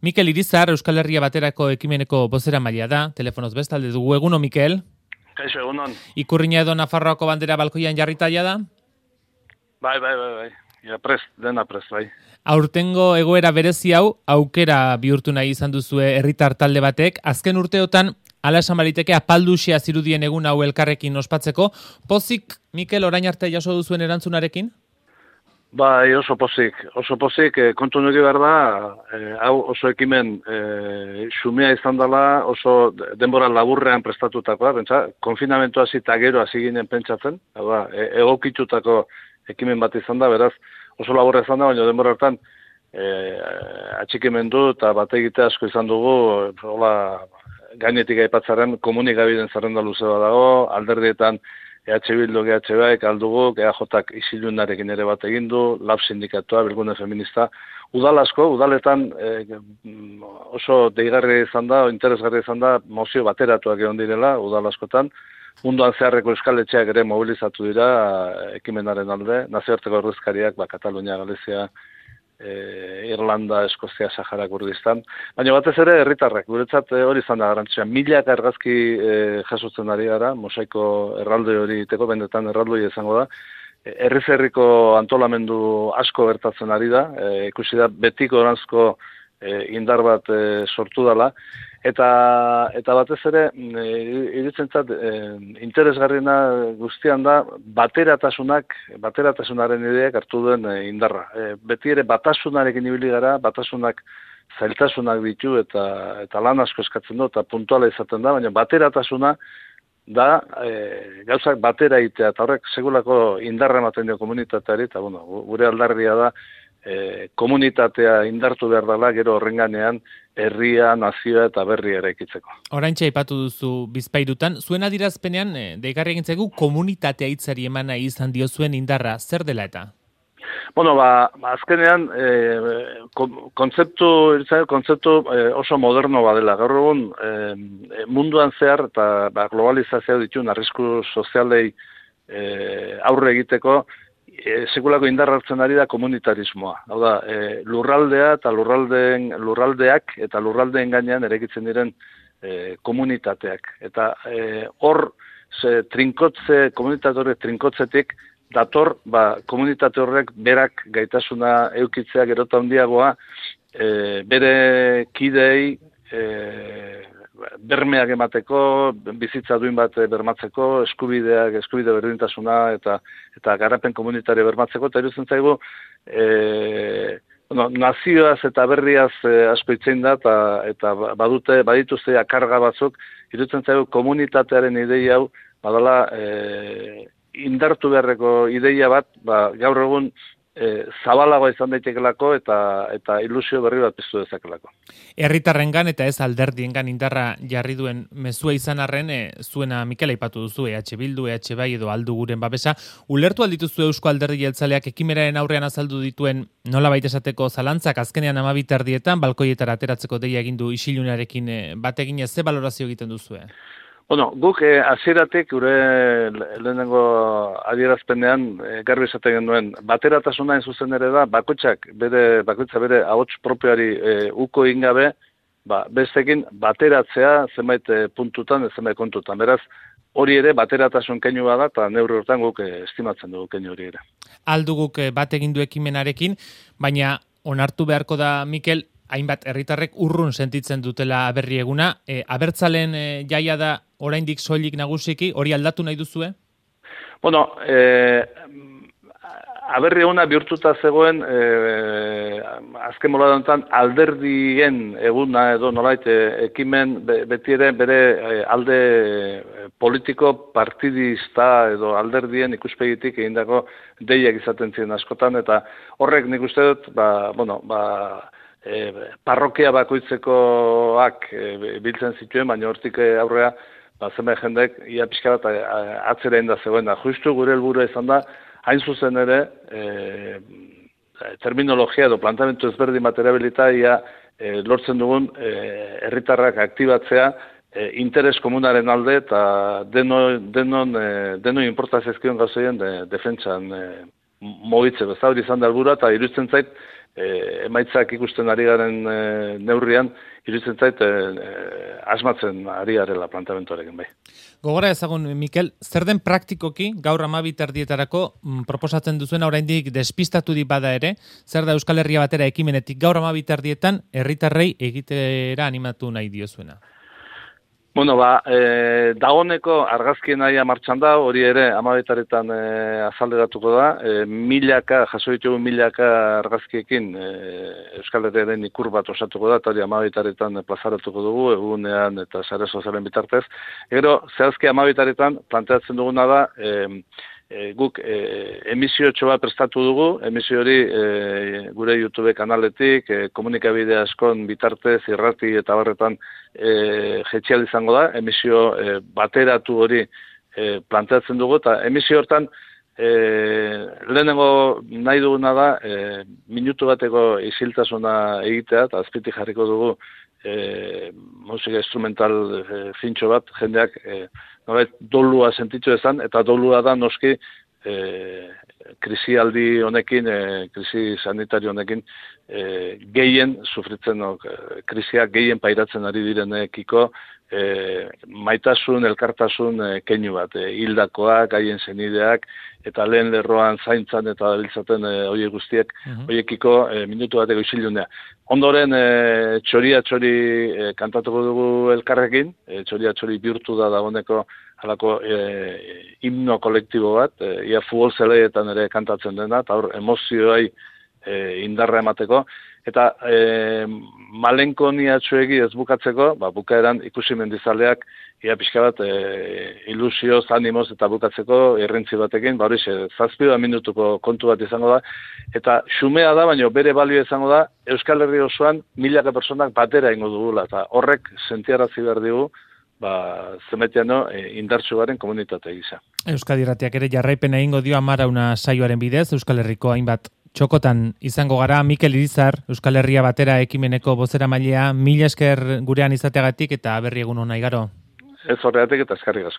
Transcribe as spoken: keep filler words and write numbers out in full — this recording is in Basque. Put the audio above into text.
Mikel Irizar, Euskal Herria Baterako ekimeneko bozeramailea da, telefonoz bestalde dugu. Eguno, Mikel? Kaixo, egunon. Ikurriña edo Nafarroako bandera balkoian jarritaia da? Bai, bai, bai, bai. Ja, prest, dena prest, bai. Aurtengo egoera berezi hau, aukera bihurtu nahi izan duzue herritar talde batek. Azken urteotan, ala esan baliteke apalduxea zirudien egun hau elkarrekin ospatzeko. Pozik, Mikel, orain arte jaso duzuen erantzunarekin? Bai, oso pozik, oso pozik, eh, kontu nuke behar da, eh, hau oso ekimen eh, xumea izan dela, oso denbora laburrean prestatutakoa, pentsa, konfinamentua zita gero hasi ginen pentsatzen, hau da, e, egokitutako ekimen bat izan da, beraz, oso laburra izan da, baina denbora hartan eh, atxikimendu eta bat egite asko izan dugu, hola, gainetik aipatzaren komunikabideen zerrenda luze bat dago, alderdietan E H Bildu, G H Bak, aldugu, E A Jak isilunarekin ere bat egin du, Lab sindikatua, Bilgune feminista. Udal asko, udaletan eh, oso deigarri izan da, interesgarri izan da, mozio bateratuak egon direla, udal askotan. Munduan zeharreko euskal etxeak ere mobilizatu dira ekimenaren alde, nazioarteko ordezkariak, ba, Katalunia, Galizia, E, Irlanda, Eskozia, Sahara, Kurdistan. Baina batez ere herritarrak, guretzat hori izan da garrantzia. Milak argazki e, jasotzen ari gara, mosaiko erraldoi hori iteko, benetan erraldoi izango da. E, herriz herriko antolamendu asko gertatzen ari da, e, ikusi da betiko oranzko e, indar bat e, sortu dela. Eta, eta batez ere, e, iritzentzat, e, interesgarriena guztian da, bateratasunak, bateratasunaren ideak hartu duen e, indarra. E, beti ere batasunarekin ibili gara, batasunak zailtasunak ditu eta, eta lan asko eskatzen du, eta puntuala izaten da, baina bateratasuna da e, gauzak batera egitea, eta horrek segulako indarra ematen dio komunitateari, eta bueno, gure aldarria da, E, komunitatea indartu behar dela, gero horrenganean herria, nazioa eta berria eraikitzeko. Oraintxe aipatu duzu Bizpahirutan, zuen adirazpenean e, deigarri egin zaigu komunitatea hitzari emana izan dio zuen indarra, zer dela eta? Bueno, ba, azkenean e, kontzeptu, kontzeptu e, oso moderno badela. Gaur egun e, munduan zehar eta ba, globalizazioa dituen arrisku sozialei e, aurre egiteko E, sekulako indar hartzen ari da komunitarismoa. Hau da, e, lurraldea eta lurraldeen, lurraldeak eta lurraldeen gainean eraikitzen diren e, komunitateak. Eta e, hor, ze, trinkotze, komunitate horrek trinkotzetik, dator, ba, komunitate horrek berak gaitasuna eukitzea gerota handiagoa, e, bere kidei, e, bermeak emateko, bizitza duin bat bermatzeko, eskubideak, eskubide berdintasuna eta eta garapen komunitario bermatzeko, eta iruditzen zaigu e, bueno, nazioaz eta berriaz e, asko itzein da, eta, eta badute, badituzte akarga batzuk, iruditzen zaigu komunitatearen ideia hau, badala e, indartu beharreko ideia bat, ba, gaur egun E, zabalagoa izan daitekelako eta eta ilusio berri bat piztu dezakelako. Herritarrengan eta ez alderdiengan indarra jarri duen mezua izan arren, e, zuena Mikel aipatu duzu, E H Bildu, E H Bai edo aldu guren babesa, ulertu aldituzu Eusko Alderdi Jeltzaleak ekimenaren aurrean azaldu dituen nolabait esateko zalantzak azkenean hamabi erdietan balkoietara ateratzeko deia egin du isilunarekin e, bat eginez, ze balorazio egiten duzue? Bueno, guk eh, hasieratik gure lehenengo adierazpenean eh, garbi esaten genuen bateratasuna in zuzen ere da bakoitzak bere bakoitza bere ahots propioari eh, uko ingabe, ba besteekin bateratzea zenbait eh, puntutan, zenbait kontutan. Beraz, hori ere bateratasun keinu bada eta neurri hortan guk eh, estimatzen dugu keinu hori ere. Alduguk eh, bat egin du ekimenarekin, baina onartu beharko da Mikel hainbat herritarrek urrun sentitzen dutela berri eguna, e, abertzalen e, jaia da oraindik soilik nagusiki, hori aldatu nahi duzue? Bueno, e, aberri eguna bihurtuta zegoen e, azken moladontan alderdien eguna edo nolait ekimen beti ere bere alde politiko partidista edo alderdien ikuspegitik egindako deiak izaten ziren askotan, eta horrek nik uste dut, ba, bueno, ba, E, parrokia bakoitzekoak e, biltzen zituen, baina hortik aurrea ba, zenbait jendek ia pixka bat atzera inda zegoen da. Justu gure helburua izan da, hain zuzen ere, e, terminologia edo plantamentu ezberdin bat erabilita ia e, lortzen dugun herritarrak aktibatzea e, interes komunaren alde eta deno, denon, e, deno inportazizkion gauzeien de, defentsan e, mogitze. Bezabri izan da helburua eta iruditzen zait, e, emaitzak ikusten ari garen e, neurrian, iruditzen zait, e, e, asmatzen ari garela planteamentoarekin bai. Gogora ezagun, Mikel, zer den praktikoki gaur hamabi terdietarako mm, proposatzen duzuena oraindik despistatu di bada ere, zer da Euskal Herria batera ekimenetik gaur hamabi terdietan herritarrei egitera animatu nahi diozuena? Bueno, ba, e, dagoneko argazkien naia martxan da, hori ere amabetaretan e, azalderatuko da, e, milaka, jaso ditugu milaka argazkiekin e, Euskal Herriaren ikur bat osatuko da, eta hori amabetaretan plazaratuko dugu, egunean eta sare sozialen bitartez. Gero, zehazki amabetaretan planteatzen duguna da, e, e, guk e, emisio txoa prestatu dugu, emisio hori e, gure YouTube kanaletik, e, komunikabide askon bitartez, irrati eta barretan e, jetxial izango da, emisio e, bateratu hori e, planteatzen dugu, eta emisio hortan e, lehenengo nahi duguna da, e, minutu bateko isiltasuna egitea, eta azpitik jarriko dugu e, musika instrumental e, fintxo bat, jendeak e, nolait dolua sentitzu ezan, eta dolua da noski e, krisialdi honekin, e, krisi sanitario honekin, e, gehien sufritzen, no, krisiak gehien pairatzen ari direnekiko, e, maitasun, elkartasun e, keinu bat, e, hildakoak, haien senideak, eta lehen lerroan zaintzan eta dabiltzaten e, horiek guztiek, uh-huh. horiekiko e, minutu bateko isilunea. Ondoren, e, txoria txori e, kantatuko dugu elkarrekin, e, txoria txori bihurtu da dagoeneko halako e, himno kolektibo bat, e, ia futbol zeleetan ere kantatzen dena, eta hor emozioai e, indarra emateko, eta e, malenkoniatxoegi ez bukatzeko, ba, bukaeran ikusi mendizaleak ia pixka bat e, ilusioz, animoz eta bukatzeko errentzi batekin, ba hori zazpida minutuko kontu bat izango da, eta xumea da, baina bere balio izango da, Euskal Herri osoan milaka personak batera ingo dugula, eta horrek sentiarazi behar digu, ba, zemetiano e, indartsu garen komunitate gisa. Euskadi Irratiak ere jarraipena egingo dio Amarauna saioaren bidez, Euskal Herriko hainbat txokotan izango gara. Mikel Irizar, Euskal Herria batera ekimeneko bozeramailea, mila esker gurean izateagatik eta berri egun ona igaro. Ez horregatik eta eskerrik asko.